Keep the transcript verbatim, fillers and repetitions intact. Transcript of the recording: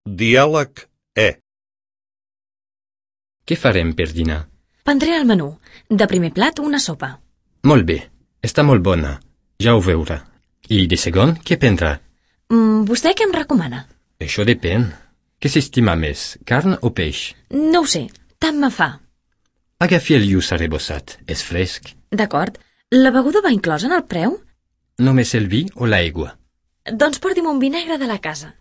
Diàleg E. Què farem per dinar? Prendré el menú. De primer plat, una sopa. Molt bé, està molt bona. Ja ho veurà. I de segon, què prendrà? Mm, vostè què em recomana? Això depèn. Què s'estima més, carn o peix? No ho sé, tant me fa. Agafi el lluç arrebossat, és fresc. D'acord. La beguda va inclosa en el preu? Només el vi o l'aigua? Doncs porti'm un vi negre de la casa.